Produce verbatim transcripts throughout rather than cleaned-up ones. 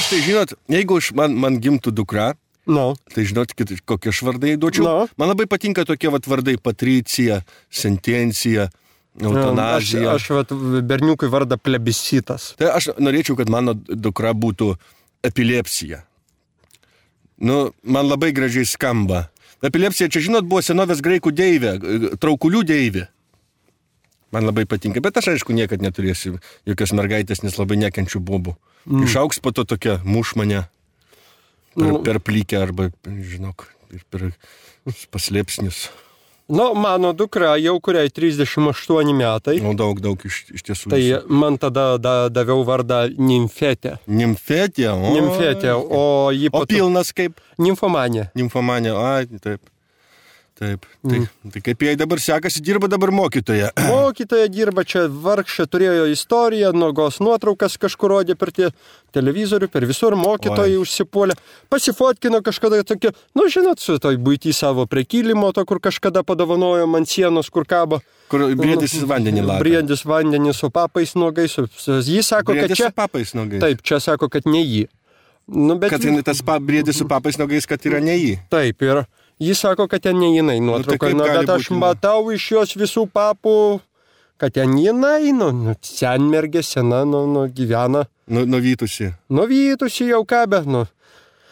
Aš tai žinot, jeigu aš, man, man gimtų dukra, no. tai žinot, kokie aš vardai duočiau. No. Man labai patinka tokie vat vardai Patricija, Sentencija, Eutanazija. Aš, aš vat, berniukui vardą plebiscitas. Tai aš norėčiau, kad mano dukra būtų epilepsija. Nu, man labai gražiai skamba. Epilepsija, čia žinot, buvo senovės graikų deivė, traukulių deivė. Man labai patinka, bet aš aišku niekad neturėsiu jokios mergaitės, nes labai nekenčiu bobų. Mm. Išauks po to tokia mušmanė per, mm. per plykę arba, žinok, ir per paslėpsnius. Nu, mano dukra jau kuriai trisdešimt aštuoni metai. Nu, daug, daug iš, iš tiesų. Tai man tada da, daviau vardą Nimfetė. Nimfetė? O, Nimfetė, o jį o pilnas kaip? Nimfomanė. Nimfomanė, ai, taip. Taip, tai, mm. tai kaip jai dabar sekasi, dirba dabar mokytoja. Mokytoja dirba, čia vargšė turėjo istoriją, nuogos nuotraukas kažkur rodė per tie televizorių, per visur mokytojai užsipuolė. Pasifotkino kažkada tokia, nu žinot, su toj buitį savo prekylimo, to, kur kažkada padovanojo man sienos, kur kabo. Kur briedis vandenį laka. Briedis vandenį su papais nuogais. Jis sako, briedis kad čia... su papais nuogais. Taip, čia sako, kad ne jį. Nu, bet... Kad tas pa, briedis su papais nuogais, kad yra ne jį. Taip, ir... Jis sako, kad ten ne jinai nuotrauka, nu, bet aš būti, matau iš jos visų papų, kad ten jinai, nu, nu senmergė, sena, nu, nu gyvena. Nu, nuvytusi. Nuvytusi jau ką, bet, nu.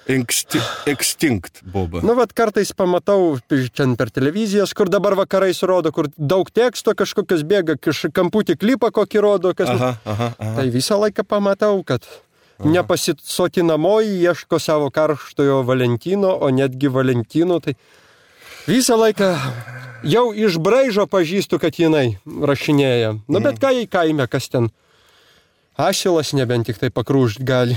Exti, extinct, boba. Nu, vat kartais pamatau, čia per televizijas, kur dabar vakarais rodo, kur daug teksto kažkokios bėga, kamputį klipą kokį rodo, kas... Aha, aha, aha. Tai visą laiką pamatau, kad... Nepasisotinamoji ieško savo karštojo Valentino, o netgi Valentino, tai visą laiką jau iš braižo pažįstu, kad jinai rašinėja. Nu, bet ką jai kaime, kas ten asilas nebent tik tai pakrūžt gali.